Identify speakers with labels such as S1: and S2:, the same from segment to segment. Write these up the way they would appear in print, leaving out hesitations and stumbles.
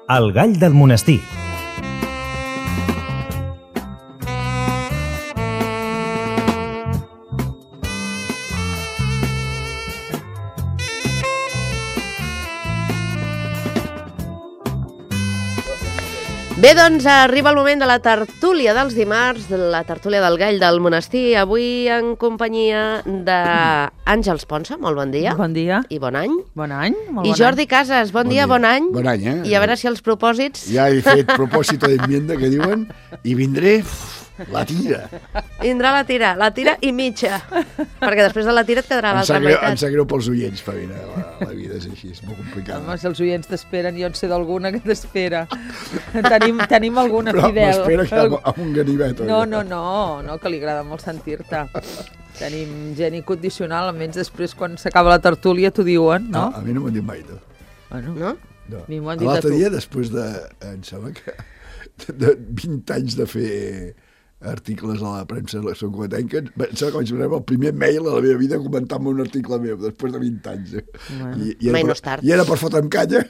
S1: El gall del monestir.
S2: Bé, doncs arriba el moment de la tertúlia dels dimarts, de la tertúlia del gall del monestir, avui en companyia d'Àngels Ponsa, molt bon dia.
S3: Bon dia.
S2: I bon any.
S3: Bon any.
S2: I Jordi Casas, bon dia, bon any.
S4: Bon any,
S2: I a veure si els propòsits...
S4: Ja he fet propòsito d'enmienda, que diuen, i vindré la tira.
S2: Vindrà la tira i mitja, perquè després de la tira et quedarà l'altra meitat.
S4: Em sap greu pels oients, Pavina, la vida és així, és molt complicada.
S3: Home, si els oients t'esperen, jo en sé d'alguna que t'espera. Tenim alguna fidel.
S4: Però m'espera amb un ganivet.
S3: No, que li agrada molt sentir-te. Tenim gent incondicional, almenys després, quan s'acaba la tertúlia, t'ho diuen, no?
S4: A mi no m'ho han dit mai, no.
S3: Bueno,
S2: no?
S3: A mi m'ho han dit a tu.
S4: L'altre dia, després de, em sembla que, de 20 anys de fer articles a la premsa de la Soncoatenca, em sembla que vaig rebre el primer mail a la meva vida comentant-me un article meu, després de 20 anys.
S3: Bueno.
S2: Mai no és tard.
S4: I era per fotre'm canya.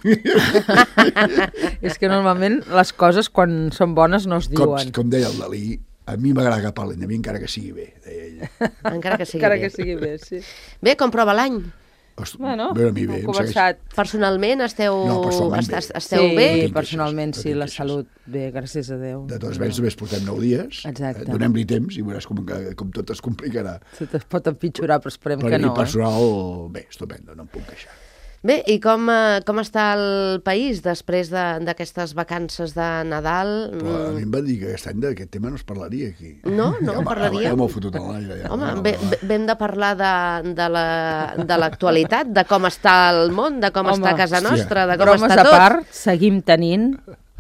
S3: És que normalment les coses, quan són bones, no es diuen.
S4: Com deia el Dalí, a mi m'agrada que parlin de mi encara que sigui bé, deia ell.
S2: Encara que sigui bé.
S3: Sí.
S2: Bé, com prova l'any?
S3: Bueno,
S4: a mi bé,
S3: hem començat.
S2: Personalment esteu bé?
S3: Sí, personalment sí, la salut bé, gràcies a Déu.
S4: De tots ells només portem 9 dies, donem-li temps i veuràs com tot es complicarà.
S3: Se es pot empitjorar, però esperem que no.
S4: I personal, bé, estupendo, no em puc queixar.
S2: Bé, i com està el país després d'aquestes vacances de Nadal?
S4: Però a mi em va dir que aquest any d'aquest tema no es parlaria aquí.
S2: No parlaria?
S4: Ja m'ho fotut a l'aire.
S2: Home, vam de parlar de l'actualitat, de com està el món, de com està a casa nostra, de com està tot.
S3: Bromes a part, seguim tenint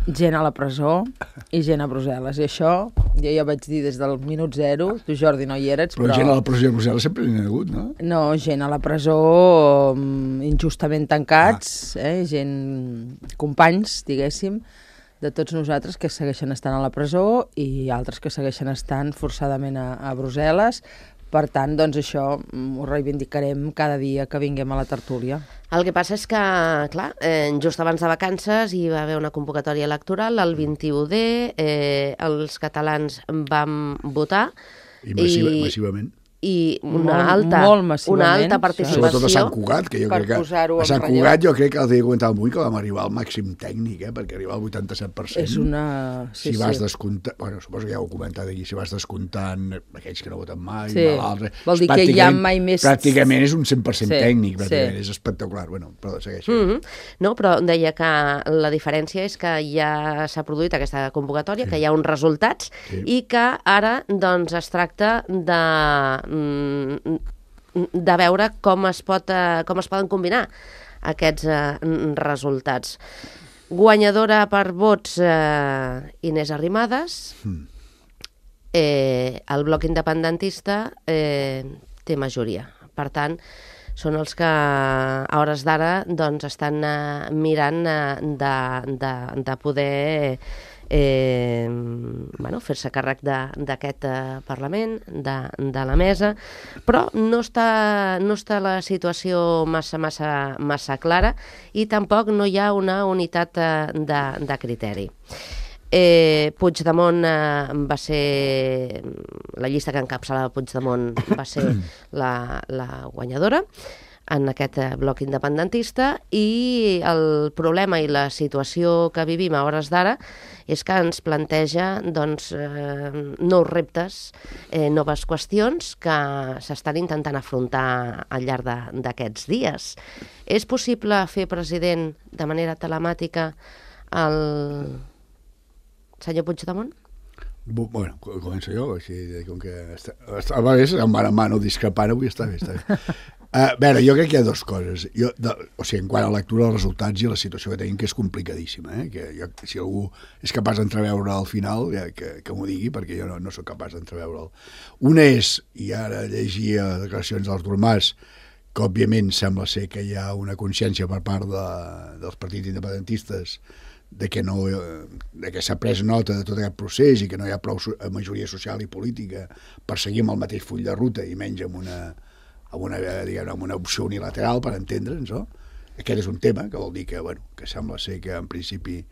S3: gent a la presó i gent a Brussel·les. I això, jo ja vaig dir des del minut zero, tu Jordi no hi eres,
S4: però gent a la presó a Brussel·les sempre n'hi ha hagut, no?
S3: No, gent a la presó injustament tancats, gent, companys, diguéssim, de tots nosaltres que segueixen estant a la presó i altres que segueixen estant forçadament a Brussel·les. Per tant, doncs això ho reivindicarem cada dia que vinguem a la tertúlia.
S2: El que passa és que, clar, just abans de vacances hi va haver una convocatòria electoral, el 21D, els catalans vam votar.
S4: I massivament.
S2: I una alta participació.
S4: Sobretot a Sant Cugat, que jo crec que a Sant Cugat jo crec que el dia que comentava avui que vam arribar al màxim tècnic, perquè arribar al 87%.
S3: És una...
S4: Si vas descomptant, bueno, suposo que ja ho he comentat aquí, si vas descomptant aquells que no voten mai, l'altre...
S3: Vol dir que hi ha mai més...
S4: Pràcticament és un 100% tècnic, pràcticament, és espectacular. Bueno, però segueixi.
S2: No, però deia que la diferència és que ja s'ha produït aquesta convocatòria, que hi ha uns resultats i que ara doncs es tracta de veure com es poden combinar aquests resultats. Guanyadora per vots Inés Arrimadas, el bloc independentista té majoria. Per tant, són els que a hores d'ara doncs, estan mirant de poder fer-se càrrec d'aquest Parlament, de la mesa, però no està la situació massa clara i tampoc no hi ha una unitat de criteri. Puigdemont va ser... La llista que encapçalava Puigdemont va ser la guanyadora en aquest bloc independentista i el problema i la situació que vivim a hores d'ara és que ens planteja doncs, nous reptes, noves qüestions que s'estan intentant afrontar al llarg d'aquests dies. És possible fer president de manera telemàtica el senyor Puigdemont?
S4: Bueno, començo jo, així, com que a vegades amb mano discrepant avui està bé. A veure, jo crec que hi ha dues coses. En quant a la lectura dels resultats i la situació que tenim, que és complicadíssima, que si algú és capaç d'entreveure al final, que m'ho digui, perquè jo no soc capaç d'entreveure'l. Una és, i ara llegia declaracions d'Artur Mas, que òbviament sembla ser que hi ha una consciència per part dels partits independentistes de que s'ha pres nota de tot aquest procés i que no hi ha prou majoria social i política per seguir amb el mateix full de ruta i menys amb una opció unilateral, per entendre'ns, no? Aquest és un tema que vol dir que sembla ser que en principi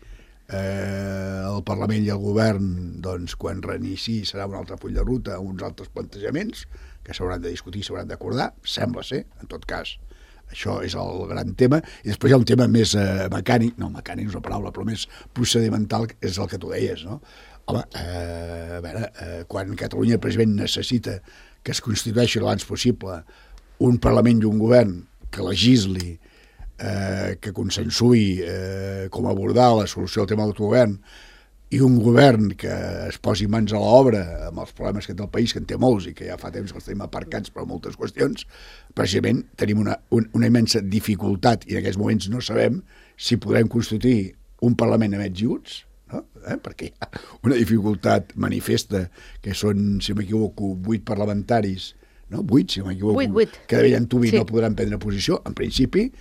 S4: el Parlament i el Govern, doncs, quan reinici serà un altre full de ruta, uns altres plantejaments que s'hauran de discutir, s'hauran d'acordar, sembla ser, en tot cas. Això és el gran tema. I després hi ha un tema més mecànic, no, mecànic és una paraula, però més procedimental, és el que tu deies, no? Home, a veure, quan Catalunya precisament necessita que es constitueixi l'abans possible un Parlament i un Govern que legisli, que consensui com abordar la solució del tema de l'autogovern, i un govern que es posi mans a l'obra amb els problemes que té el país, que en té molts i que ja fa temps que els tenim aparcats per moltes qüestions, precisament tenim una immensa dificultat i en aquests moments no sabem si podrem constituir un Parlament amb ets i uts, no? Perquè hi ha una dificultat manifesta que són, si m'equivoco, 8 parlamentaris, no? 8, si m'equivoco,
S2: 8.
S4: que de bell antuvi no podran prendre posició, en principi.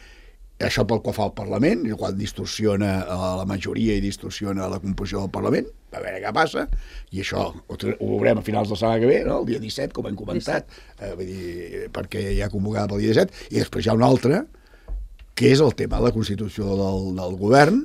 S4: Això pel que fa al Parlament, el qual distorsiona la majoria i distorsiona la composició del Parlament, a veure què passa, i això ho veurem a finals de la setmana que ve, no? El dia 17, com hem comentat, vull dir, perquè ja convocada pel dia 17, i després hi ha un altre, que és el tema de la Constitució del Govern,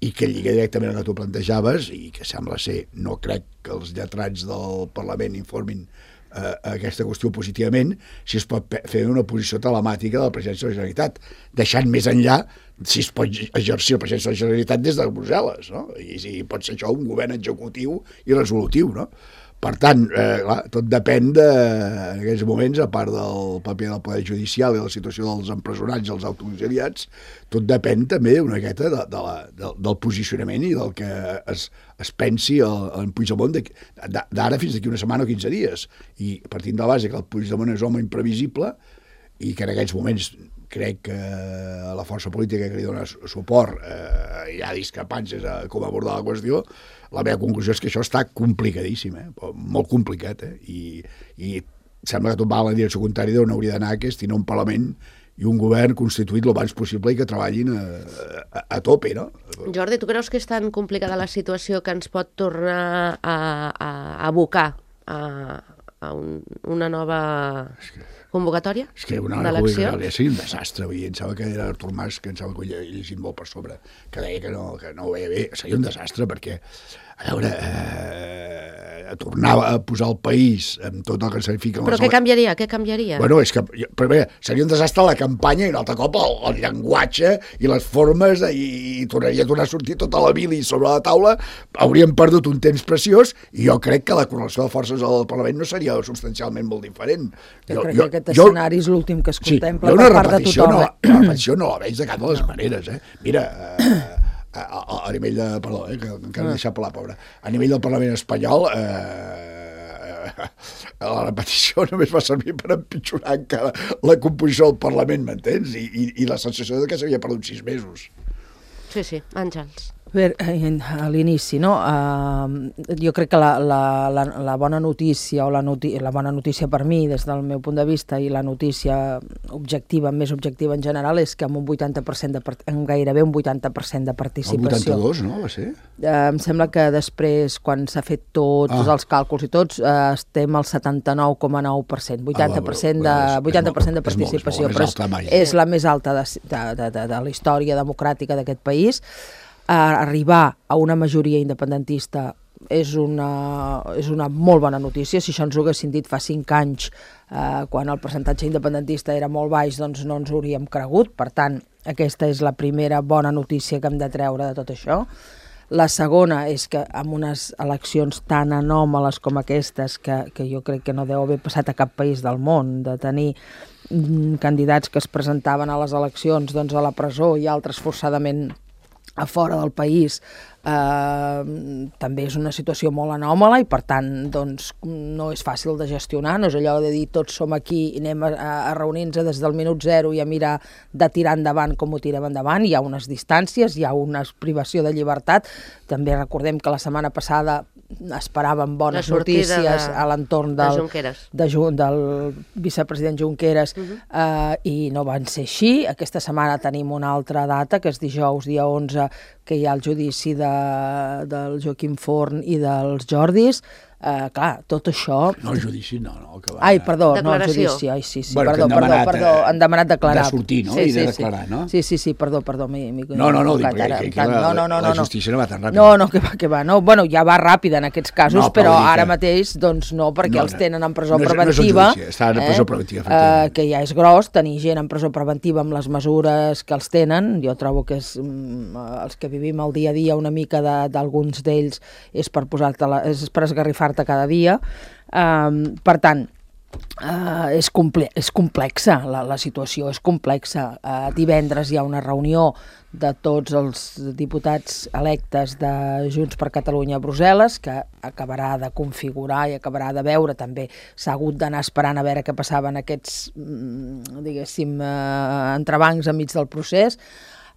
S4: i que lliga directament al que tu plantejaves, i que sembla ser, no crec que els lletrats del Parlament informin aquesta qüestió positivament, si es pot fer una posició telemàtica de la presidència de la Generalitat, deixant més enllà si es pot exercir la presidència de la Generalitat des de Brussel·les, no? I si pot ser això un govern executiu i resolutiu, no? Per tant, clar, tot depèn en aquests moments, a part del paper del Poder Judicial i la situació dels empresonats i els autoexiliats, tot depèn també una miqueta del posicionament i del que es pensi en Puigdemont d'ara fins d'aquí una setmana o 15 dies. I partint de la base que el Puigdemont és home imprevisible i que en aquests moments crec que la força política que li dona suport hi ha discrepàncies a com abordar la qüestió. La meva conclusió és que això està complicadíssim, molt complicat, i sembla que tot va en la direcció contrària d'on hauria d'anar, que és tenir un Parlament i un govern constituït el abans possible i que treballin a tope, no?
S2: Jordi, tu creus que és tan complicada la situació que ens pot tornar a abocar a una nova convocatòria d'eleccions?
S4: És que una nova convocatòria seria un desastre. Em sembla que era Artur Mas, que em sembla que ho he llegit molt per sobre, que deia que no ho veia bé. Seria un desastre perquè, a veure, tornar a posar el país amb tot el que significa...
S2: Però què canviaria? Què canviaria?
S4: Bueno, és que seria un desastre la campanya i un altre cop el llenguatge i les formes i tornaria a tornar a sortir tota la bili sobre la taula. Hauríem perdut un temps preciós i jo crec que la correlació de forces al Parlament no seria substancialment molt diferent.
S3: Jo crec que aquest escenari és l'últim que es contempla per part de tothom.
S4: La repetició no la veig de cap de les maneres. Mira... a nivell de... Perdó, que encara m'he deixat per la pobra. A nivell del Parlament espanyol, la repetició només va servir per empitjorar encara la composició del Parlament, m'entens? I la sensació de que s'havia perdut 6 mesos.
S2: Sí, Àngels.
S3: Bé, a l'inici, no? Jo crec que la bona notícia, la bona notícia per mi, des del meu punt de vista, i la notícia objectiva, més objectiva en general, és que amb un 80% amb gairebé un 80% de participació.
S4: El 82, no? Va ser?
S3: Em sembla que després, quan s'ha fet tots els càlculs i tots, estem al 79,9%, 80% de participació, però és la més alta de la història democràtica d'aquest país. Arribar a una majoria independentista és una molt bona notícia. Si això ens ho haguessin dit fa 5 anys, quan el percentatge independentista era molt baix, doncs no ens ho hauríem cregut. Per tant, aquesta és la primera bona notícia que hem de treure de tot això. La segona és que amb unes eleccions tan anòmales com aquestes, que jo crec que no deu haver passat a cap país del món, de tenir candidats que es presentaven a les eleccions doncs, a la presó i altres forçadament a fora del país, també és una situació molt anòmala i per tant doncs, no és fàcil de gestionar, no és allò de dir tots som aquí i anem a reunir-nos des del minut zero i a mirar de tirar endavant com ho tirem endavant. Hi ha unes distàncies, hi ha una privació de llibertat. També recordem que la setmana passada esperàvem bones notícies a l'entorn del vicepresident Junqueras i no van ser així. Aquesta setmana tenim una altra data, que és dijous, dia 11, que hi ha el judici del Joaquim Forn i dels Jordis. Clar, tot això...
S4: No, judici, no. Que va,
S3: Ai, perdó,
S2: declaració.
S3: No, judici. Ai, sí,
S4: Bueno,
S3: perdó. Han demanat declarar.
S4: De sortir, no? I de declarar, no?
S3: Sí, perdó.
S4: No, dic, perquè la justícia no va tan ràpida.
S3: No, que va. No, bueno, ja va ràpida en aquests casos, però ara mateix, doncs no, perquè els tenen en presó preventiva.
S4: Estan en presó preventiva, efectivament.
S3: Que ja és gros tenir gent en presó preventiva amb les mesures que els tenen. Jo trobo que els que vivim el dia a dia una mica d'alguns d'ells és per esgarrifar-te cada dia. Per tant, és complexa, la situació és complexa. Divendres hi ha una reunió de tots els diputats electes de Junts per Catalunya a Brussel·les, que acabarà de configurar i acabarà de veure. També s'ha hagut d'anar esperant a veure què passava en aquests, diguéssim, entrebancs enmig del procés.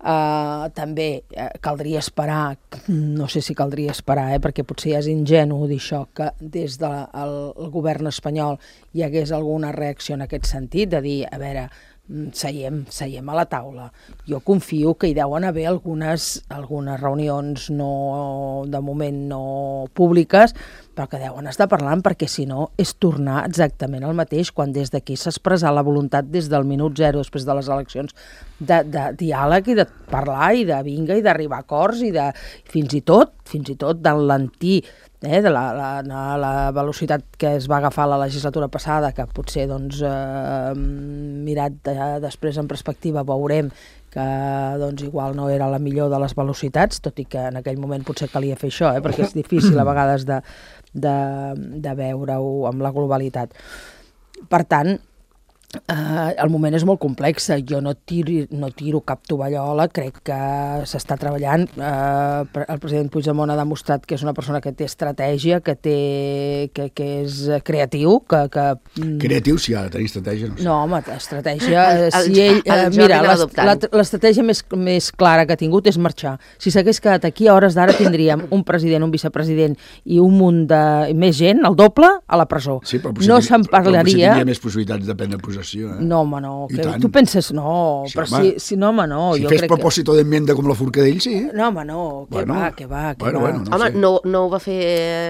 S3: També caldria esperar, no sé si caldria esperar, perquè potser ja és ingenu dir això, que des del govern espanyol hi hagués alguna reacció en aquest sentit, de dir, a veure, seiem a la taula. Jo confio que hi deuen haver algunes reunions de moment no públiques, però que deuen estar parlant, perquè si no és tornar exactament al mateix, quan des d'aquí s'ha expressat la voluntat des del minut zero, després de les eleccions, de diàleg i de parlar i de vinga i d'arribar a acords i de fins i tot d'enlentir de la velocitat que es va agafar la legislatura passada, que potser doncs, mirat després en perspectiva veurem que doncs, igual no era la millor de les velocitats, tot i que en aquell moment potser calia fer això, perquè és difícil a vegades de veure-ho amb la globalitat. Per tant, el moment és molt complex. Jo no tiro cap tovallola, crec que s'està treballant. El president Puigdemont ha demostrat que és una persona que té estratègia, que és creatiu.
S4: Creatiu, sí, ha de tenir estratègia.
S3: No, home, estratègia... Mira, l'estratègia més clara que ha tingut és marxar. Si s'hagués quedat aquí, a hores d'ara tindríem un president, un vicepresident i un munt de més gent, el doble, a la presó.
S4: Sí, però
S3: no se'n parlaria...
S4: Però tindria més possibilitats de prendre possessió.
S3: No, home, no. Tu penses, no. Sí, però no, home, no.
S4: Si fes propòsito d'enmienda com la Forcadell, sí.
S3: No, home, no. Què va.
S2: Home, no ho va fer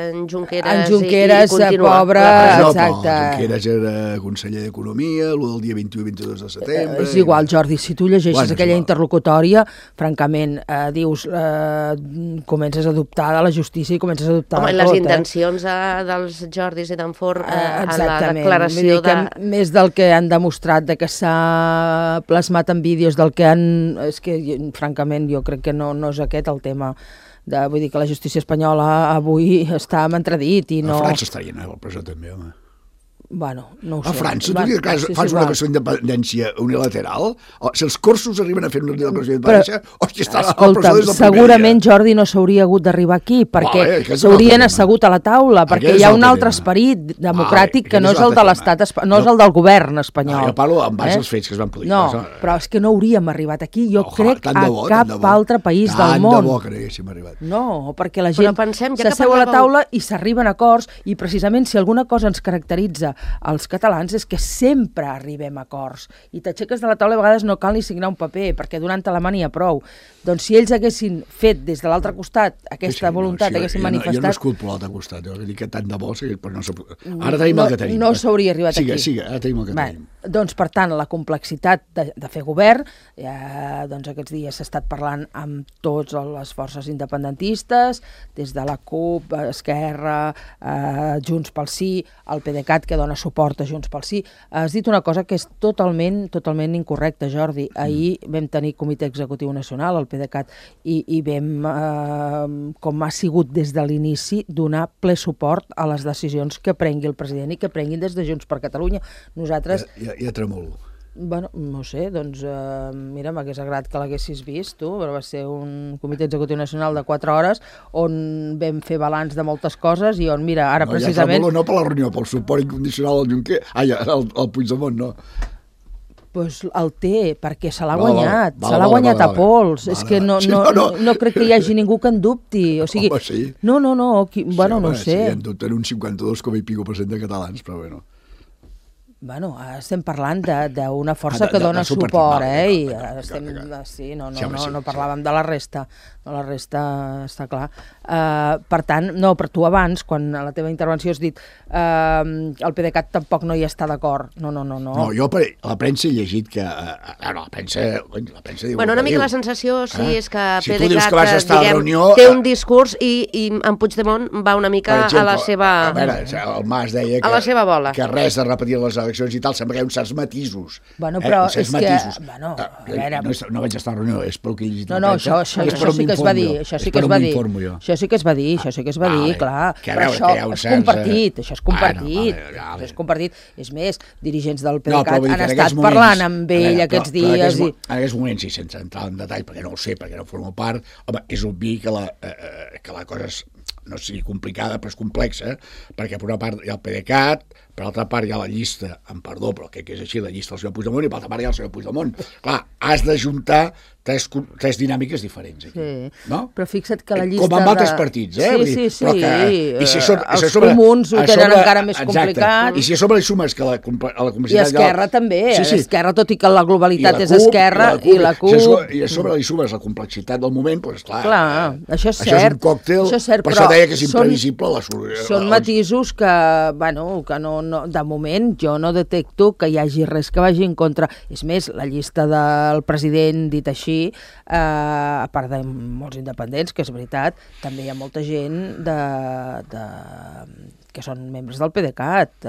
S2: en Junqueras.
S3: En Junqueras, pobre, exacte.
S4: Junqueras era conseller d'Economia, el del dia 21 i 22 de setembre...
S3: És igual, Jordi, si tu llegeixes aquella interlocutòria, francament, dius, comences a dubtar de la justícia i comences a dubtar de tot.
S2: Home, les intencions dels Jordis i d'en Forn en la declaració de...
S3: Més del que han demostrat, de que s'ha plasmat en vídeos del que han... És que, francament, jo crec que no és aquest el tema. Vull dir que la justícia espanyola avui està en entredit i no...
S4: A França estarien a la presó també, home.
S3: Bueno, no ho sé.
S4: A França, tu dius que fas una qüestió d'independència unilateral? Si els corsos arriben a fer una declaració d'independència, hòstia, està a la presó des del primer dia.
S3: Segurament, Jordi, no s'hauria hagut d'arribar aquí, perquè s'haurien assegut a la taula, perquè hi ha un altre esperit democràtic que no és el de l'estat espanyol, no és el del govern espanyol.
S4: Jo parlo en base als fets que es van produir.
S3: No, però és que no hauríem arribat aquí, jo crec, a cap altre país del món.
S4: Tant de bo que no haguéssim arribat.
S3: No, perquè la gent s'asseu a la taula i s'arriben a acords, i precisament si alguna cosa ens caracteritza els catalans és que sempre arribem a acords i t'aixeques de la taula i a vegades no cal ni signar un paper perquè donant-te la mà n'hi ha prou. Doncs si ells haguessin fet des de l'altre costat aquesta voluntat, haguessin manifestat...
S4: Jo no esculpo l'altre costat, jo dic que tant de bo, però no... Ara tenim el que tenim.
S3: No s'hauria arribat aquí.
S4: Sigue, ara tenim el que tenim.
S3: Doncs, per tant, la complexitat de fer govern, doncs aquests dies s'ha estat parlant amb totes les forces independentistes, des de la CUP, Esquerra, Junts pel Sí, el PDeCAT, que dona suport a Junts pel Sí. Has dit una cosa que és totalment incorrecta, Jordi. Ahir vam tenir Comitè Executiu Nacional, el PDeCAT, i vam, com ha sigut des de l'inici, donar ple suport a les decisions que prengui el president i que prenguin des de Junts per Catalunya. Nosaltres...
S4: Ja tremolo.
S3: Bueno, no sé, doncs mira, m'hagués agradat que l'haguessis vist tu, però va ser un comitè executiu nacional de 4 hores on vam fer balanç de moltes coses i on, mira, ara precisament...
S4: Ja tremolo no per la reunió, pel suport incondicional al Junqueras, al Puigdemont, no.
S3: Doncs el té, perquè se l'ha guanyat, se l'ha guanyat a pols. És que no crec que hi hagi ningú que en dubti. O sigui,
S4: home, sí.
S3: No, bueno, no ho sé.
S4: Sí, en dubten un 52,5% de catalans, però bueno.
S3: Bueno, estem parlant d'una força que dona suport, i estem... Sí, no parlàvem de la resta, està clar. Per tant, no, per tu abans, quan a la teva intervenció has dit el PDeCAT tampoc no hi està d'acord. No.
S4: No, jo a la premsa he llegit que... la premsa diu...
S2: Bueno, una mica la sensació, sí, és que
S4: si PDeCAT,
S2: té un discurs i en Puigdemont va una mica a la seva...
S4: A veure, el Mas deia
S2: a la seva bola.
S4: Que res de repetir les eleccions i tal, sembla que hi ha uns certs matisos.
S3: Bueno, però és que... Bueno, a veure...
S4: No vaig estar a la reunió, és pel que he llegit.
S3: No, això sí que es va dir. Això sí que es va dir, clar. Però això és compartit. És més, dirigents del PDeCAT han estat parlant amb ell aquests dies.
S4: En aquests moments, i sense entrar en detall, perquè no ho sé, perquè no formo part, home, és obvi que la cosa no sigui complicada, però és complexa, perquè per una part hi ha el PDeCAT, per l'altra part hi ha la llista, amb perdó, però crec que és així, la llista del senyor Puigdemont, i per l'altra part hi ha el senyor Puigdemont. Clar, has d'ajuntar tres dinàmiques diferents aquí, no?
S3: Però fixa't que la llista...
S4: Com amb altres partits,
S3: Sí.
S4: Els
S3: comuns ho tenen encara més complicat.
S4: I si a sobre li sumes que a la complexitat...
S3: I Esquerra també, Esquerra, tot i que la globalitat és Esquerra, i la CUP...
S4: I a sobre li sumes la complexitat del moment, doncs clar...
S3: Això és cert.
S4: Això és un còctel, per això deia que és imprevisible la solució.
S3: Són matisos que, que no, de moment jo no detecto que hi hagi res que vagi en contra. És més, la llista del president, dit així, a part de molts independents, que és veritat, també hi ha molta gent que són membres del PDeCAT,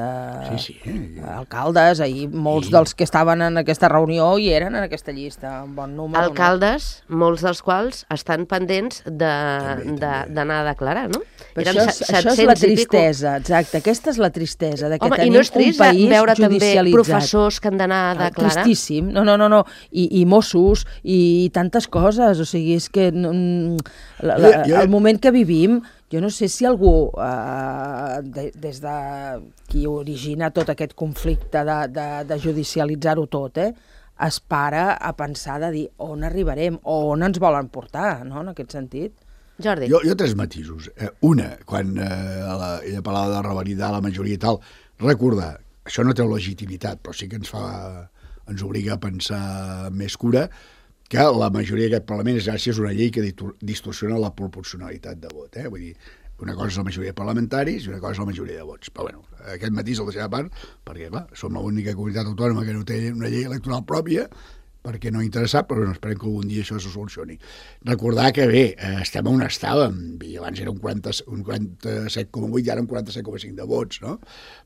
S3: alcaldes, ahir molts dels que estaven en aquesta reunió hi eren en aquesta llista, un bon número.
S2: Alcaldes, molts dels quals estan pendents d'anar a declarar, no?
S3: Però això és la tristesa, exacte, aquesta és la tristesa, de que tenim un país judicialitzat. Home, i no és trist
S2: veure també professors que han d'anar a declarar?
S3: Tristíssim, no, i Mossos, i tantes coses, o sigui, és que el moment que vivim, jo no sé si algú, des de qui origina tot aquest conflicte de judicialitzar-ho tot, es para a pensar de dir on arribarem o on ens volen portar, no?, en aquest sentit.
S2: Jordi.
S4: Jo tres matisos. Una, quan ella parlava de revalidar la majoria i tal, recordar, això no té legitimitat, però sí que ens obliga a pensar amb més cura, que la majoria d'aquest Parlament és gràcies a una llei que distorsiona la proporcionalitat de vot. Vull dir, una cosa és la majoria de parlamentaris i una cosa és la majoria de vots. Però bueno, aquest matís el deixaré a part, perquè clar, som l'única comunitat autònoma que no té una llei electoral pròpia, perquè no ha interessat, però esperem que algun dia això se solucioni. Recordar que bé, estem on estàvem, i abans era un 47,8 i ara un 47,5 de vots, no?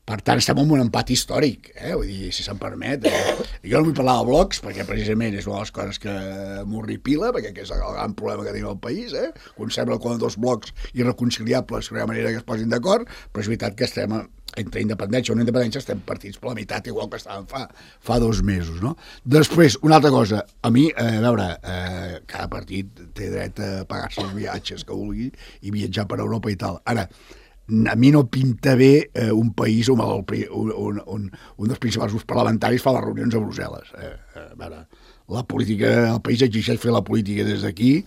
S4: Per tant, estem en un empat històric, vull dir, si se'n permet. Jo no vull parlar de blocs, perquè precisament és una de les coses que m'horripila, perquè és el gran problema que tenim al país, quan sembla com dos blocs irreconciliables, que no hi ha manera que es posin d'acord, però és veritat que estem entre independència o no independència estem partits per la meitat, igual que estàvem fa 2 mesos, no? Després, una altra cosa, a mi, a veure, cada partit té dret a pagar-se els viatges que vulgui i viatjar per Europa i tal. Ara, a mi no pinta bé un país on un dels principals grups parlamentaris fa les reunions a Brussel·les. A veure, la política, el país exigeix fer la política des d'aquí,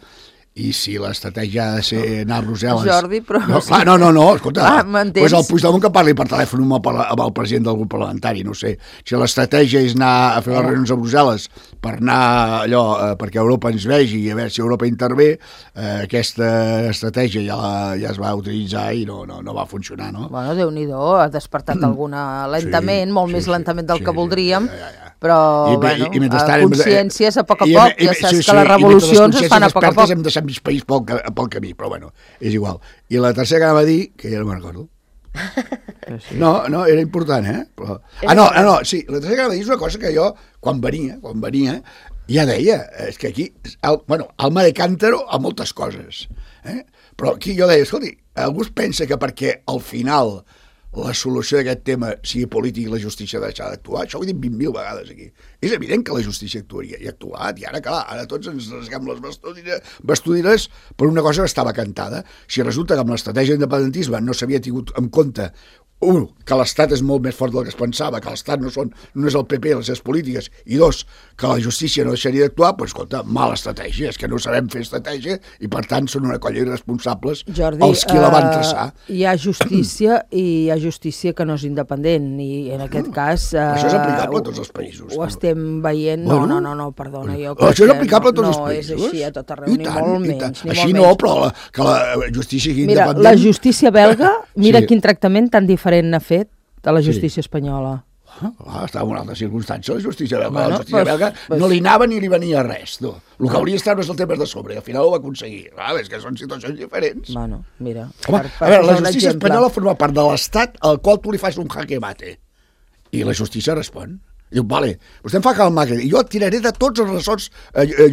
S4: i si l'estratègia ha de ser anar a Brussel·les...
S3: Jordi, però...
S4: No, escolta,
S3: m'entens?
S4: Pues el Puigdemont que parli per telèfon amb el president del grup parlamentari, no sé. Si l'estratègia és anar a fer les reunions a Brussel·les per anar allò, perquè Europa ens vegi i a veure si Europa intervé, aquesta estratègia ja es va utilitzar i no va funcionar, no?
S3: Bueno, Déu-n'hi-do, ha despertat alguna lentament, molt més lentament del que voldríem, però, bueno, consciències a poc a poc, ja saps que les revolucions es fan a poc a poc.
S4: Hem deixat mig país pel camí, però bueno, és igual. I la tercera que anava a dir, que ja no me'n recordo. No, era important, Però... No, sí, la tercera que anava a dir és una cosa que jo, quan venia, ja deia, és que aquí, alma de cántaro a moltes coses, però aquí jo deia, escolti, algú es pensa que perquè al final la solució d'aquest tema sigui polític i la justícia ha deixat d'actuar, això ho he dit 20.000 vegades aquí. És evident que la justícia actuaria, i ha actuat, i ara, clar, ara tots ens rasguem les vestudires per una cosa que estava cantada. Si resulta que amb l'estratègia d'independentisme no s'havia tingut en compte que l'Estat és molt més fort del que es pensava, que l'Estat no és el PP, les seves polítiques, i dos, que la justícia no deixaria d'actuar, doncs, escolta, mala estratègia, és que no sabem fer estratègia i, per tant, són una colla irresponsables els qui la van traçar.
S3: Hi ha justícia i hi ha justícia que no és independent, i en aquest cas...
S4: Això és aplicable a tots els països.
S3: Ho estem veient... No, perdona, jo
S4: crec això és aplicable a tots els països?
S3: No és així a tot arreu, ni molt menys.
S4: Així no, però que la justícia sigui independent...
S3: Mira, la justícia belga, mira quin tractament tan diferent n'ha fet de la justícia espanyola.
S4: Estava en una altra circumstància, la justícia belga. La justícia belga no li anava ni li venia res. El que hauria estat és el tema de sobre, i al final ho va aconseguir. És que són situacions diferents.
S3: Bueno, mira...
S4: A veure, la justícia espanyola forma part de l'Estat al qual tu li fas un jaque mate. I la justícia respon. Diu, vale, vostè em fa calmar, i jo tiraré de tots els ressorts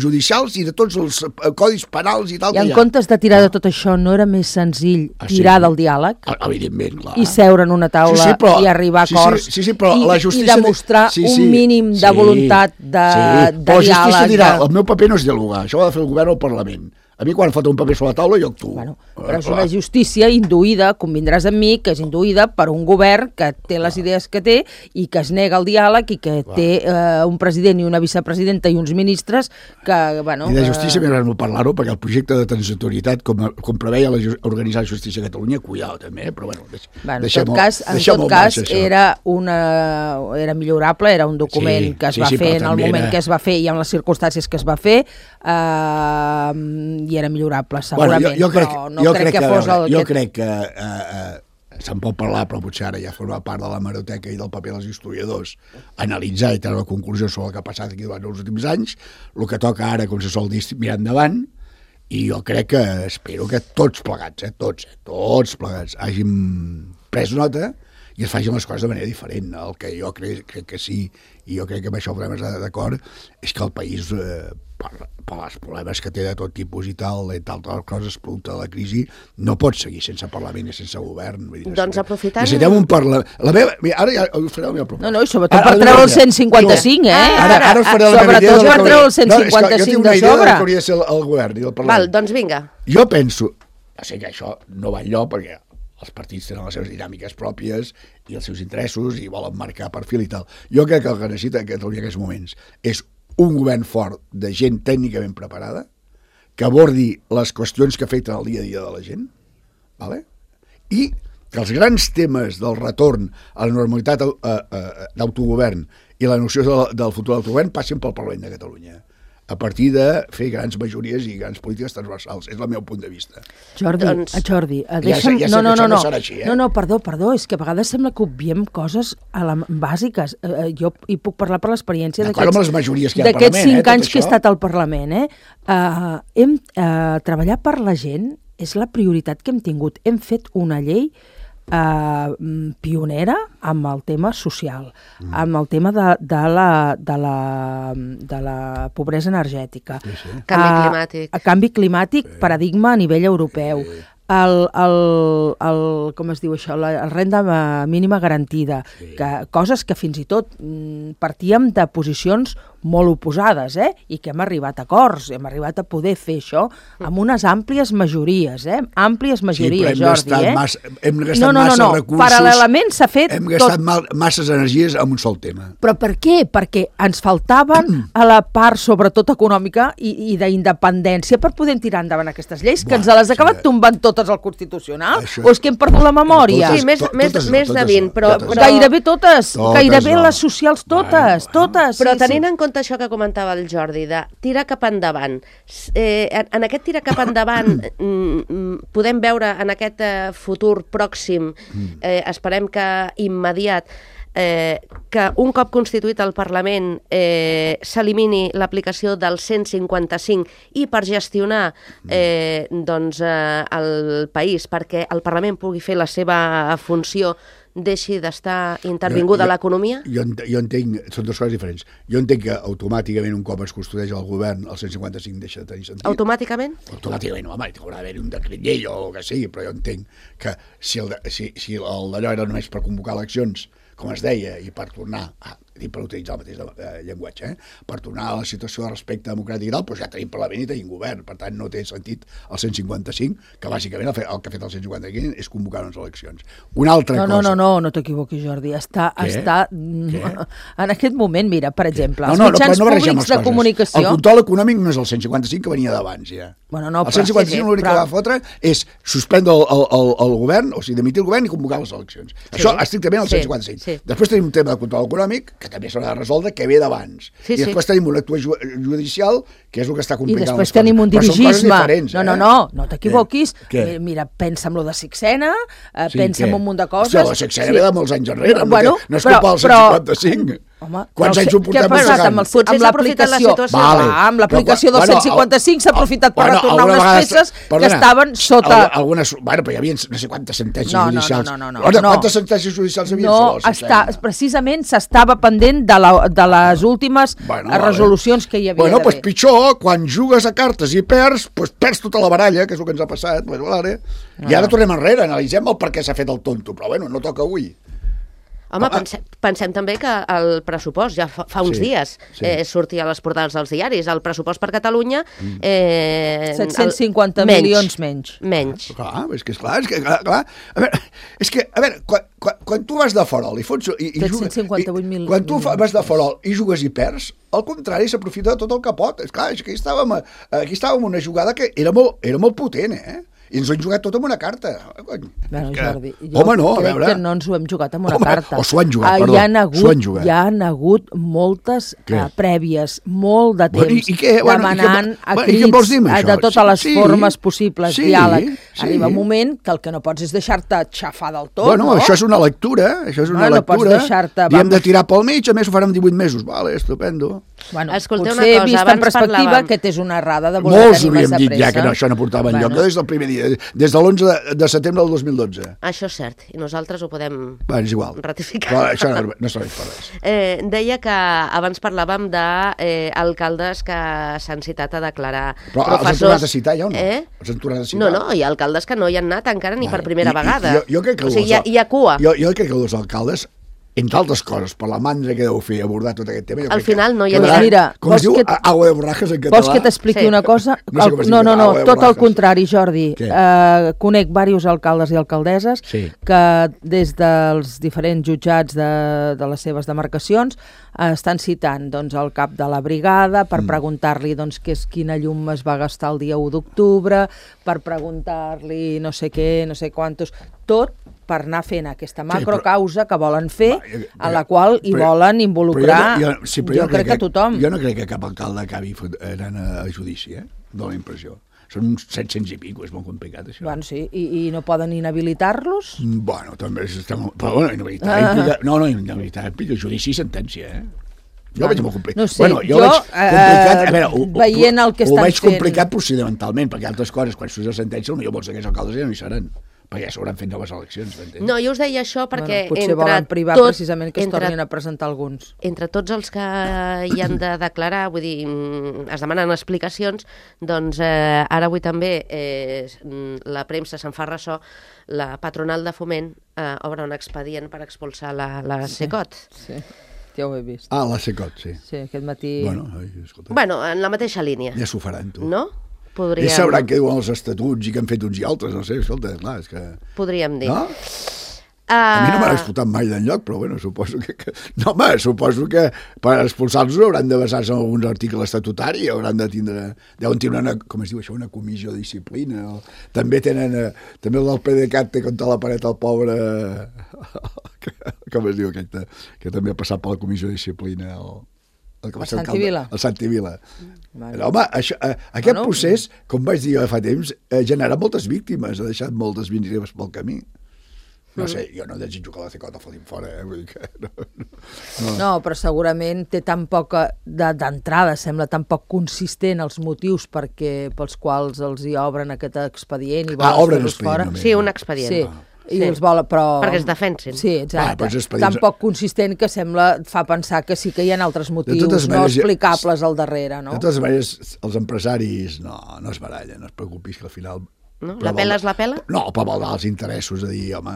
S4: judicials i de tots els codis penals i tal.
S3: I en comptes de tirar de tot això, no era més senzill tirar del diàleg?
S4: Evidentment, clar.
S3: I seure en una taula i arribar a acords i demostrar un mínim de voluntat de diàleg.
S4: Però la justícia dirà, el meu paper no és dialogar, això ho ha de fer el govern o el Parlament. A mi quan falta un paper sobre la taula jo actuo.
S3: Bueno, però és una justícia induïda, convindràs amb mi, que és induïda per un govern que té les idees que té i que es nega al diàleg i que té un president i una vicepresidenta i uns ministres que...
S4: I de justícia m'agrada molt parlar-ho, perquè el projecte de transitorietat, com preveia organitzar la justícia a Catalunya, cuidado també, però bueno,
S3: deixem-ho. En tot cas, era millorable, era un document que es va fer en el moment que es va fer i en les circumstàncies que es va fer, i era millorable, segurament, però no crec que fos el...
S4: Jo crec que se'n pot parlar, però potser ara ja forma part de la hemeroteca i del paper dels historiadors analitzar i treure conclusions sobre el que ha passat aquí durant els últims anys. El que toca ara, com se sol dir, mirar endavant, i jo crec que, espero que tots plegats, tots plegats, hàgim pres nota i es facin les coses de manera diferent. El que jo crec que sí, i jo crec que amb això podem estar d'acord, és que el país, per els problemes que té de tot tipus i tal, entre altres coses, producte de la crisi, no pot seguir sense Parlament i sense govern.
S2: Doncs aprofitant...
S4: Necessitem un Parlament... Ara ja us faré la meva proposta.
S3: No, i sobretot per treure el 155,
S4: Ara us faré la meva idea.
S3: Sobretot per treure el 155 de sobre.
S4: Jo tinc una idea del que hauria de ser el govern i el Parlament.
S2: Val, doncs vinga.
S4: Jo penso... Sé que això no va enlloc, perquè els partits tenen les seves dinàmiques pròpies i els seus interessos i volen marcar perfil i tal. Jo crec que el que necessita Catalunya en aquests moments és un govern fort de gent tècnicament preparada que abordi les qüestions que afecten el dia a dia de la gent, ¿vale? I que els grans temes del retorn a la normalitat d'autogovern i la noció del futur autogovern passin pel Parlament de Catalunya, a partir de fer grans majories i grans polítiques transversals. És el meu punt de vista.
S3: Jordi, deixa'm... No, perdó, és que a vegades sembla que obviem coses bàsiques. Jo hi puc parlar per l'experiència d'aquests 5 anys que he estat al Parlament. Treballar per la gent és la prioritat que hem tingut. Hem fet una llei pionera amb el tema social, amb el tema de la pobresa energètica, canvi climàtic, paradigma a nivell europeu, com es diu això, la renda mínima garantida, coses que fins i tot partíem de posicions molt oposades, i que hem arribat a acords, hem arribat a poder fer això amb unes àmplies majories, àmplies majories, Jordi.
S4: Hem gastat massa recursos,
S3: paral·lelament s'ha fet
S4: hem gastat masses energies en un sol tema.
S3: Però per què? Perquè ens faltaven a la part, sobretot econòmica i d'independència, per poder tirar endavant aquestes lleis, que ens les ha acabat tombant totes al Constitucional, o és que hem perdut la memòria?
S2: Sí, més de 20, però...
S3: Gairebé totes, gairebé les socials totes.
S2: Però tenint en compte això que comentava el Jordi, de tirar cap endavant. En aquest tirar cap endavant podem veure en aquest futur pròxim, esperem que immediat, que un cop constituït el Parlament s'elimini l'aplicació del 155 i per gestionar el país, perquè el Parlament pugui fer la seva funció, deixi d'estar intervingut a l'economia?
S4: Jo entenc, són dues coses diferents. Jo entenc que automàticament un cop es constitueix el govern el 155 deixa de tenir sentit.
S2: Automàticament?
S4: Automàticament, home, haurà d'haver un decret llei o el que sigui, però jo entenc que si d'allò era només per convocar eleccions, com es deia, i per tornar a per utilitzar el mateix llenguatge, per tornar a la situació de respecte democràtic i tal, doncs ja tenim Parlament i tenim govern, per tant no té sentit el 155, que bàsicament el que ha fet el 155 és convocar unes eleccions. Una altra cosa...
S3: No t'equivoquis, Jordi, està en aquest moment, mira, per exemple, els mitjans públics de comunicació...
S4: El control econòmic no és el 155 que venia d'abans, ja.
S3: Bueno, no,
S4: el 155 l'únic que va fotre és suspendre el govern, o sigui, demitir el govern i convocar les eleccions. Això estrictament el 155. Després tenim un tema de control econòmic, que també s'haurà de resoldre, que ve d'abans. I després tenim un acte judicial, que és el que està complicant les coses.
S3: I després tenim un dirigisme. No t'equivoquis. Mira, pensa en lo de Sixena, pensa en un munt de coses.
S4: Hòstia, la Sixena ve de molts anys enrere, no és culpa del 155.
S3: Home,
S4: quants anys ho portem
S3: passant amb l'aplicació? Amb l'aplicació del 155 s'ha aprofitat per retornar unes peces que estaven sota...
S4: Bueno, però hi havia no sé quantes sentències judicials.
S3: No.
S4: Quantes sentències judicials hi havia sobre la Sixena?
S3: Precisament s'estava pendent de les últimes resolucions que hi havia d'haver.
S4: Bueno, doncs pitjor, quan jugues a cartes i perds tota la baralla, que és el que ens ha passat, i ara tornem enrere, analitzem el per què s'ha fet el tonto, però bueno, no toca avui.
S2: Home, pensem també que el pressupost, ja fa uns dies, sortia a les portades dels diaris, el pressupost per Catalunya...
S3: 750 milions menys.
S4: Clar, és que clar. A veure, quan tu vas de Farol i fots...
S3: 758 milions.
S4: Quan tu vas de Farol i jugues i perds, al contrari, s'aprofita de tot el que pot. És clar, aquí estàvem una jugada que era molt potent, i ens ho hem jugat tot amb una carta.
S3: Bueno, Jordi, jo crec que no ens ho hem jugat amb una carta.
S4: O s'ho han jugat, perdó.
S3: Hi han hagut moltes prèvies, molt de temps, demanant a crits de totes les formes possibles, diàleg. Arriba un moment que el que no pots és deixar-te xafar del tot,
S4: no? Això és una lectura,
S3: no pots deixar-te...
S4: I hem de tirar pel mig, a més ho farem 18 mesos. Vale, estupendo.
S3: Bueno, potser vist en perspectiva, aquest és una errada de voler tenir massa pressa.
S4: Molts havíem dit ja que això no portava enlloc, des del primer dia, des de l'11 de setembre del 2012.
S2: Això és cert, i nosaltres ho podem ratificar.
S4: Però això no serveix per res.
S2: Deia que abans parlàvem d'alcaldes que s'han citat a declarar
S4: però
S2: professors...
S4: els han tornat a citar ja o no? Els han tornat a citar?
S2: No, hi ha alcaldes que no hi han anat encara ni per primera vegada.
S4: Jo crec que
S2: o sigui, hi ha cua.
S4: Jo crec que els alcaldes, entre altres coses, per la mandra que deu fer abordar tot aquest tema...
S2: Al final no hi ha
S3: Mira,
S4: com es diu? Agua de borrajes en català?
S3: Vols que t'expliqui una cosa? No, tot el contrari, Jordi. Conec diversos alcaldes i alcaldesses que des dels diferents jutjats de les seves demarcacions estan citant el cap de la brigada per preguntar-li quina llum es va gastar el dia 1 d'octubre, per preguntar-li no sé què, no sé quantos... Tot per anar fent aquesta macrocausa que volen fer, a la qual hi volen involucrar, jo crec que tothom.
S4: Jo no crec que cap alcalde acabi anant a judici, dóna la impressió. Són uns 700 i pico, és molt complicat, això.
S3: Bueno, sí, i no poden inhabilitar-los?
S4: Bueno, també estem... Però bueno, inhabilitar implica... No, inhabilitar implica judici i sentència, Jo ho veig molt complicat.
S3: No sé, jo veient el que estan fent...
S4: Ho veig complicat procedimentalment, perquè altres coses, quan surt la sentència, potser molts d'aquests alcaldes ja no hi seran, perquè ja s'hauran fet noves eleccions, m'entens?
S2: No, jo us deia això perquè...
S3: Potser volen privar precisament que es tornin a presentar alguns.
S2: Entre tots els que hi han de declarar, vull dir, es demanen explicacions, doncs ara avui també la premsa se'n fa ressò, la patronal de Foment obre un expedient per expulsar la Secot.
S3: Sí. Ja ho he vist.
S4: La Secot, sí.
S3: Sí, aquest matí...
S2: Bueno, en la mateixa línia.
S4: Ja s'ho faran, tu.
S2: No? Podríem...
S4: Ja sabran què diuen els estatuts i què han fet uns i altres, no sé, escolta, clar, és que...
S2: Podríem dir.
S4: No? A mi no m'han expulsat mai d'enlloc, però bueno, suposo que... No, home, suposo que per expulsar-los hauran de basar-se en alguns articles estatutaris, hauran de tindre... Deuen tenir una, com es diu això, una comissió de disciplina. També tenen... També el del PDeCAT té contra la paret el pobre... Com es diu aquest? Que també ha passat per la comissió de disciplina, el que va ser
S3: Santi-Vila.
S4: El Santi-Vila. Però, home, aquest procés, com vaig dir fa temps, genera moltes víctimes, ha deixat moltes víctimes pel camí. No sé, jo no desitjo que la Secot el fotin fora, vull dir que...
S3: No, però segurament té tan poca... D'entrada sembla tan poc consistent els motius pels quals els hi obren aquest expedient i volen fer-los fora.
S2: Sí, un expedient.
S3: Sí. I els volen, però...
S2: Perquè es defensin.
S3: Sí, exacte. Tan poc consistent que fa pensar que sí que hi ha altres motius no explicables al darrere, no?
S4: De totes maneres, els empresaris no es barallen, no es preocupis, que al final
S2: No? La pela és la pela?
S4: No, però vol dar els interessos, de dir, home,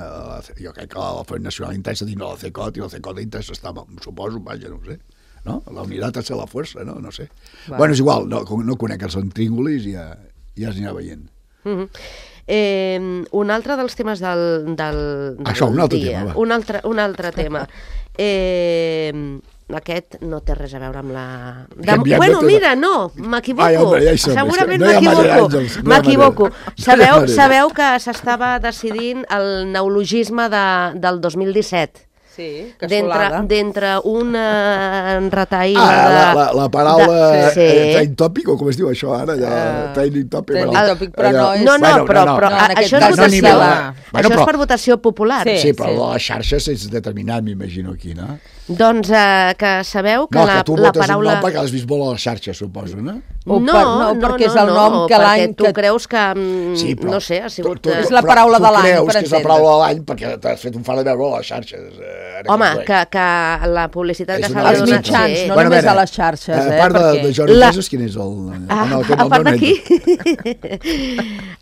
S4: jo crec que la Front Nacional interessa dins de la CECOT, i la CECOT interessa estar, suposo, vaja, no ho sé. No? La unitat és la força, no sé. Bueno, és igual, no conec els intríngulis i ja es anirà veient.
S2: Un altre dels temes del
S4: Això, un altre
S2: dia.
S4: tema, va.
S2: Un altre tema. Aquest no té res a veure amb la... Bueno, mira, no, m'equivoco. Segurament m'equivoco. Sabeu que s'estava decidint el neologisme del 2017.
S3: Sí, cassolada.
S2: D'entre un retall...
S4: La paraula training topic, o com es diu això ara? Training topic.
S3: Training topic, però no és...
S2: No, però això és votació. Això és per votació popular.
S4: Sí, però les xarxes és determinat, m'imagino, aquí, no?
S2: Doncs que sabeu que la paraula...
S4: No, que tu votes un nom perquè l'has vist molt a les xarxes, suposo, no?
S3: No, perquè és el nom que l'any...
S2: Perquè tu creus que, no sé, ha sigut...
S3: És la paraula de l'any, per entendre.
S4: Tu creus que és la paraula de l'any perquè t'has fet un far de veure a les xarxes.
S2: Home, que la publicitat que s'ha de donar...
S3: Els mitjans, no només a les xarxes,
S4: A part de Jordi Iglesias, quin és el...
S2: A part d'aquí,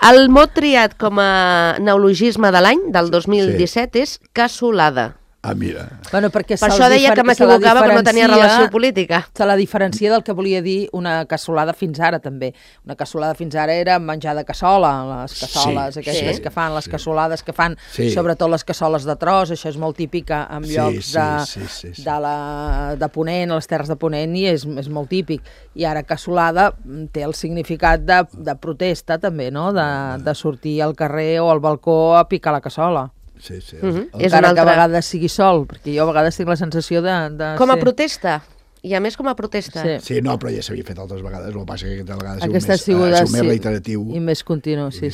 S2: el mot triat com a neologisme de l'any, del 2017, és cassolada.
S4: Mira.
S3: Bueno, per
S2: això deia que m'equivocava, però no tenia relació política.
S3: Se la diferencia del que volia dir una cassolada fins ara, també. Una cassolada fins ara era menjar de cassola, les cassoles, aquestes que fan, les cassolades que fan, sobretot les cassoles de tros, això és molt típic en llocs de Ponent, a les terres de Ponent, i és molt típic. I ara cassolada té el significat de protesta, també, no? De sortir al carrer o al balcó a picar la cassola.
S4: Sí.
S3: Encara que a vegades sigui sol, perquè jo a vegades tinc la sensació de
S2: com a protesta. I a més com a protesta.
S4: Sí, no, però ja s'havia fet altres vegades. El que passa que aquesta vegada
S3: ha sigut
S4: més reiteratiu.
S3: I més continu, sí.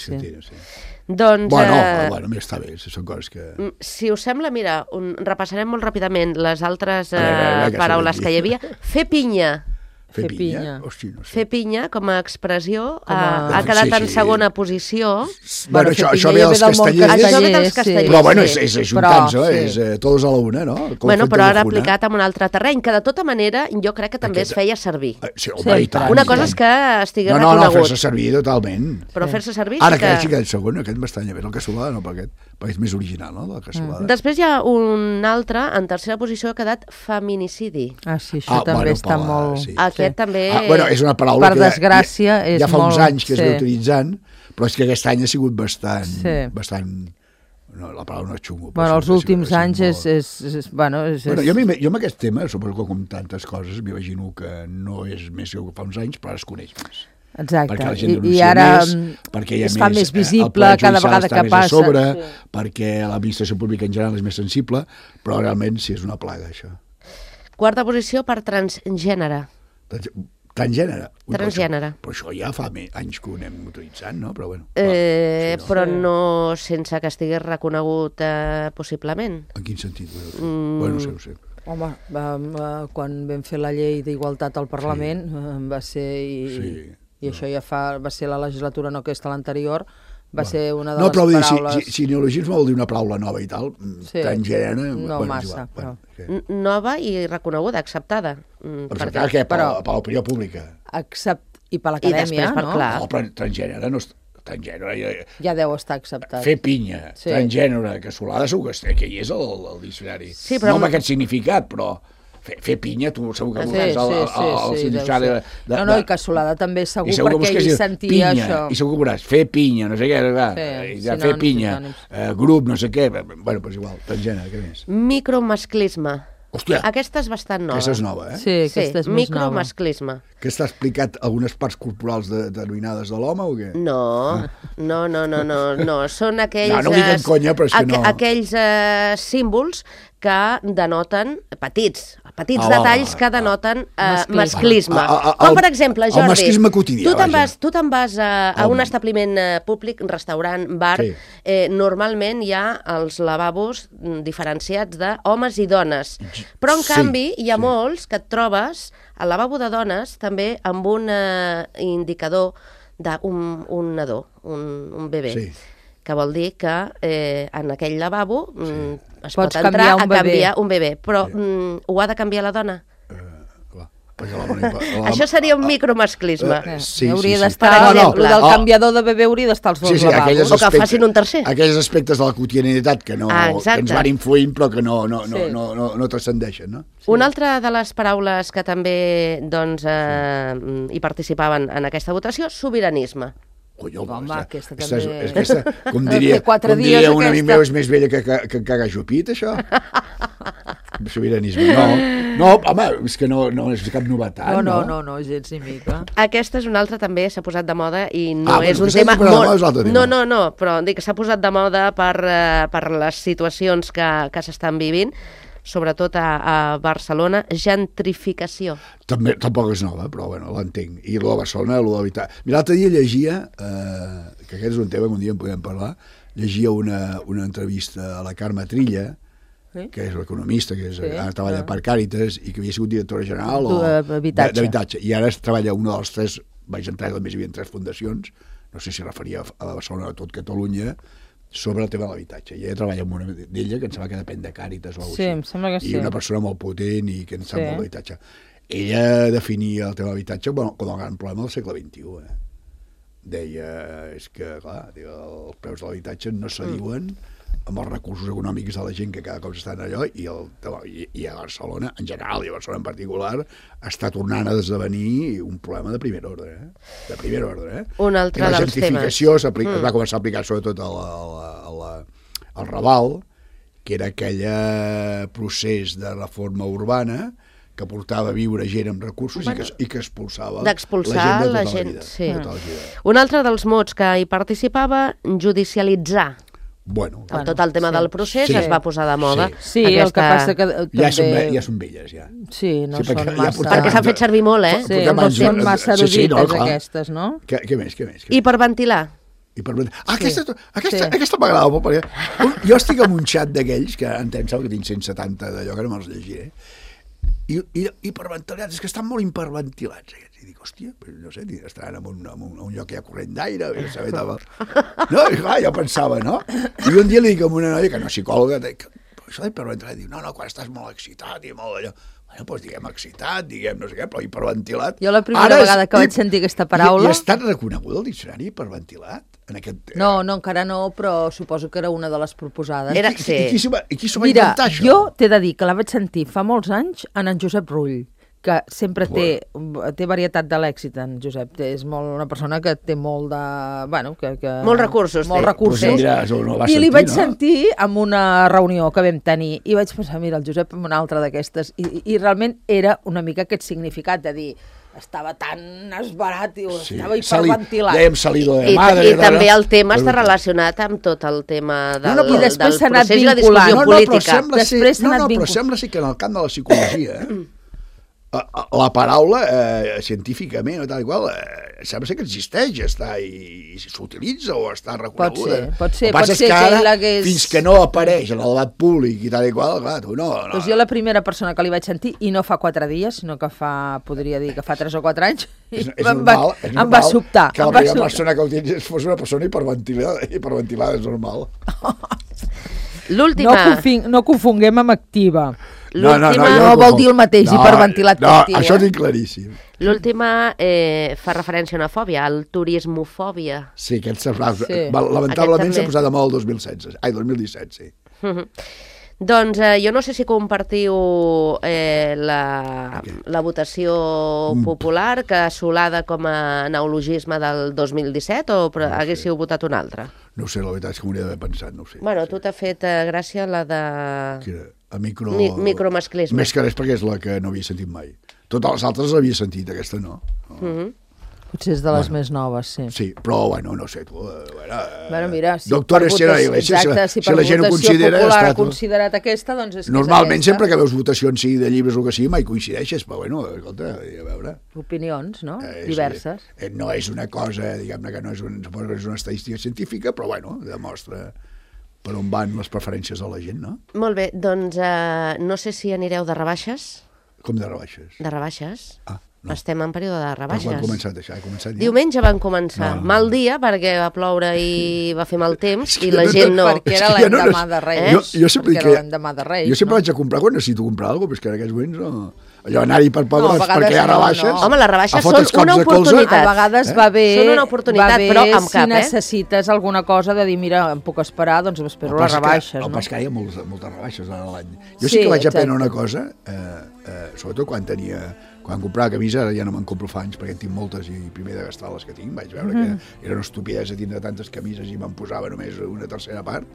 S2: Doncs...
S4: Bueno, està bé, són coses que...
S2: Si us sembla, mira, repassarem molt ràpidament les altres paraules que hi havia. Fer pinya.
S4: Fer pinya? Hosti, no sé.
S2: Fer pinya, com a expressió, ha quedat en segona posició.
S4: Bueno, això ve dels castellers.
S2: Això ve dels castellers.
S4: Però bueno, és ajuntant, és tots a la una, no?
S2: Bueno, però ara aplicat en un altre terreny, que de tota manera jo crec que també es feia servir.
S4: Sí, home, i tant.
S2: Una cosa és que estigués reconegut.
S4: No, fer-se servir totalment.
S2: Però fer-se servir...
S4: Ara que el segon, aquest m'estranya més, el cassolada, no, perquè és més original, no, la cassolada.
S2: Després hi ha un altre, en tercera posició, ha quedat feminicidi.
S3: Sí, això també està molt...
S2: Aquest també...
S4: Bueno, és una paraula
S3: per desgràcia,
S4: ja fa uns anys que es va utilitzant, però és que aquest any ha sigut bastant... No, la paraula no és xungo.
S3: Bueno, els últims anys
S4: Bueno, jo amb aquest tema, suposo que com tantes coses, m'imagino que no és més que fa uns anys, però ara es coneix més.
S3: Exacte,
S4: perquè la gent
S3: i ara
S4: perquè
S3: es fa més visible cada vegada que passa.
S4: Sobre, perquè l'administració pública en general és més sensible, però realment sí és una plaga, això.
S2: Quarta posició per transgènere.
S4: Transgènere?
S2: Transgènere.
S4: Però això ja fa anys que ho anem utilitzant, no? Però bueno.
S2: Però no sense que estigués reconegut possiblement.
S4: En quin sentit? Bueno, no sé.
S3: Home, quan vam fer la llei d'igualtat al Parlament va ser... I això ja va ser la legislatura, no aquesta, l'anterior, va ser una de les paraules...
S4: No, però si neologisme vol dir una paraula nova i tal, transgènere...
S3: No massa, però...
S2: Nova i reconeguda, acceptada.
S4: Acceptada què? Per l'opinió pública.
S3: I per l'acadèmia, no?
S4: No, però transgènere no... Transgènere...
S3: Ja deu estar acceptat.
S4: Fer pinya, transgènere, cassolada, segur que hi és el diccionari. No amb aquest significat, però... Fer pinya, tu segur que veuràs al diccionari...
S3: No, i cassolada també segur, perquè ell sentia això.
S4: I segur que veuràs, fer pinya, no sé què, fer pinya, grup, no sé què... Bueno, doncs igual, transgènere, què més?
S2: Micromasclisme.
S4: Hòstia!
S2: Aquesta és bastant nova.
S4: Aquesta és nova, eh?
S3: Sí, aquesta és més nova.
S2: Micromasclisme.
S4: Que està explicat algunes parts corporals denominades de l'home o què?
S2: No. Són aquells...
S4: No ho dic en conya, però és que no.
S2: Aquells símbols que denoten petits detalls que denoten masclisme. Com, per exemple, Jordi,
S4: el masclisme quotidià,
S2: tu te'n vas a un establiment públic, un restaurant, bar, normalment hi ha els lavabos diferenciats d'homes i dones, però en canvi hi ha molts que et trobes al lavabo de dones també amb un indicador d'un nadó, un bebè. Que vol dir que en aquell lavabo es pot entrar a canviar un bebè. Però ho ha de canviar la dona? Això seria un micromasclisme.
S3: Hauria d'estar,
S2: Per exemple.
S3: el del canviador de bebè hauria d'estar als dos lavabos.
S2: O que facin un tercer.
S4: Aquells aspectes de la quotidianitat que ens van influint però que no transcendeixen, no?
S2: Una altra de les paraules que també hi participaven en aquesta votació, sobiranisme.
S3: Home, aquesta
S4: també... Com diria un amic meu, és més vella que cagar jupit, això? Sobiranisme. No, home, és que no és cap novetat, no?
S3: No, gens ni mica.
S2: Aquesta és una altra, també s'ha posat de moda i no és un tema molt... No, però dic que s'ha posat de moda per les situacions que s'estan vivint, sobretot a Barcelona, gentrificació.
S4: Tampoc és nova, però bueno, l'entenc. I a Barcelona, l'habitat... Mira, l'altre dia llegia, que aquest és un tema que un dia en podem parlar, llegia una entrevista a la Carme Trilla, que és l'economista, que ara treballa per Càritas i que havia sigut directora general d'habitatge. I ara treballa una de les tres, vaig entrar, només hi havia 3 fundacions, no sé si referia a Barcelona o a tot Catalunya, sobre el tema de l'habitatge. I ella treballa amb una d'ella que em sembla que depèn de Càritas o alguna cosa.
S3: Sí, em sembla que sí.
S4: I una persona molt potent i que en sap molt d'habitatge. Ella definia el tema de l'habitatge com el gran problema del segle XXI. Deia, és que, clar, els preus de l'habitatge no s'adiuen amb els recursos econòmics de la gent que cada cop estan allò i a Barcelona, en general, i a Barcelona en particular, està tornant a esdevenir un problema de primer ordre. De primer ordre.
S2: Un altre dels temes.
S4: La gentrificació es va començar a aplicar sobretot al Raval, que era aquell procés de reforma urbana que portava a viure gent amb recursos i que expulsava la gent de tota la vida.
S2: Un altre dels mots que hi participava, judicialitzar. Tot el tema del procés es va posar de moda.
S3: Sí, el que passa que
S4: ja són velles, ja.
S3: Sí, no són massa...
S2: Perquè s'han fet servir molt,
S3: Sí, no són massa erudites, aquestes, no?
S4: Què més?
S2: Hiperventilar.
S4: Aquesta m'agrada molt, perquè jo estic en un xat d'aquells, que em sembla que tinc 170 d'allò, que no me'ls llegiré, i hiperventilats, és que estan molt hiperventilats aquests, i dic, hòstia, no sé, estaran en un lloc que hi ha corrent d'aire, no, i clar, jo pensava, no? I un dia li dic a una noia, que no és psicòloga, això d'hiperventilat, diu, no, quan estàs molt excitat i molt d'allò, bueno, doncs diguem excitat, diguem no sé què, però hiperventilat...
S3: Jo la primera vegada que vaig sentir aquesta paraula...
S4: I ha estat reconegut el diccionari hiperventilat?
S3: No, encara no, però suposo que era una de les proposades.
S4: I qui s'ho va inventar, això?
S3: Jo t'he de dir que la vaig sentir fa molts anys en Josep Rull, que sempre té varietat de l'èxit, en Josep. És una persona que té molt de...
S2: Molts recursos.
S3: I li vaig sentir en una reunió que vam tenir i vaig pensar, mira, el Josep en una altra d'aquestes, i realment era una mica aquest significat de dir... estava tan esbarat i estava hiperventilat.
S4: Dèiem salido de madre.
S2: I també el tema està relacionat amb tot el tema del procés i la discussió política.
S4: Però sembla ser que en el camp de la psicologia la paraula científicament o tal i qual sembla ser que existeix, està i s'utilitza o està reconeguda.
S3: Pot ser.
S4: El que passa és que ara, fins que no apareix en el debat públic i tal i qual, clar, tu no.
S3: Doncs jo la primera persona que li vaig sentir, i no fa 4 dies, sinó que podria dir que fa 3 o 4 anys, em va sobtar.
S4: Que la primera persona que ho utilitzés fos una persona hiperventilada, és normal.
S2: L'última...
S3: No confonguem amb activa.
S4: No
S3: vol dir el mateix, hiperventilat que actiu.
S4: Això és claríssim.
S2: L'última fa referència a una fòbia, al turismofòbia.
S4: Sí, lamentablement s'ha posat de moda el 2017, sí.
S2: Doncs jo no sé si compartiu la votació popular, que assolada com a neologisme del 2017, o haguéssiu votat una altra?
S4: No sé, la veritat és que m'hauria d'haver pensat, no ho sé.
S2: Bueno, tu t'ha fet gràcia la de...
S4: micromasclisme. Més que res perquè és la que no havia sentit mai. Totes les altres l'havia sentit, aquesta no.
S3: Potser és de les més noves, sí.
S4: Sí, però, bueno, no sé, tu...
S3: mira,
S4: doctora Sierra Iglesias, si la gent ho considera...
S3: popular ha considerat aquesta, doncs és que
S4: normalment, sempre que veus votacions, sigui de llibres o que sigui, mai coincideixes, però, bueno, escolta, a veure...
S3: Opinions, no? Diverses.
S4: No és una cosa, diguem-ne, que no és una estadística científica, però, bueno, demostra per on van les preferències de la gent, no?
S2: Molt bé, doncs no sé si anireu de rebaixes.
S4: Com de rebaixes?
S2: De rebaixes.
S4: No.
S2: Estem en període de rebaixes.
S4: Però quan ha començat això? Ha començat ja?
S2: Diumenge van començar. Mal dia, perquè va ploure i va fer mal temps, i la gent no...
S3: Perquè era l'endemà de Reis.
S4: Jo sempre
S3: perquè era l'endemà de Reis.
S4: Jo sempre vaig a comprar quan necessito comprar alguna cosa, però és que en aquests moments no... allò anar-hi per pobres perquè hi ha rebaixes.
S2: Home, les rebaixes
S4: a fotre's
S2: són una
S4: cops de colze.
S2: oportunitat.
S3: A vegades va bé,
S2: Són una oportunitat, però amb
S3: si
S2: cap,
S3: necessites alguna cosa de dir, mira, em puc esperar, doncs m'espero les rebaixes.
S4: El
S3: No?
S4: pas que hi ha moltes rebaixes a l'any. Jo sí que vaig aprendre una cosa, sobretot quan comprava camisa, ara ja no me'n compro fa anys perquè en tinc moltes i primer de gastar les que tinc, vaig veure que era una estupidesa tindre tantes camises i me'n posava només una tercera part.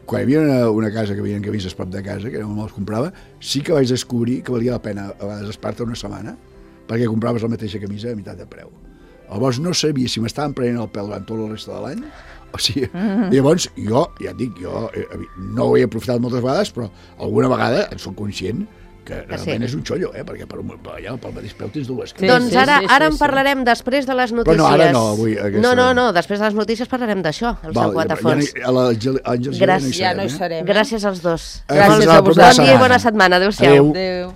S4: Quan hi havia una casa que hi havia camises prop de casa, que no me les comprava, sí que vaig descobrir que valia la pena a vegades esperar-te una setmana perquè compraves la mateixa camisa a meitat de preu. Llavors no sabia si m'estaven prenent el pèl durant tota la resta de l'any, o sigui, llavors jo, ja et dic, no ho he aprofitat moltes vegades, però alguna vegada en soc conscient que realment és un xollo, perquè pel mateix preu tens dues.
S2: Doncs ara en parlarem després de les notícies.
S4: Però no, ara no, avui.
S2: No, després de les notícies parlarem d'això, el seu Guatafons.
S3: Ja no hi serem.
S2: Gràcies als dos.
S3: Gràcies a vosaltres.
S2: Bon dia i bona setmana. Adéu-siau.
S3: Adéu.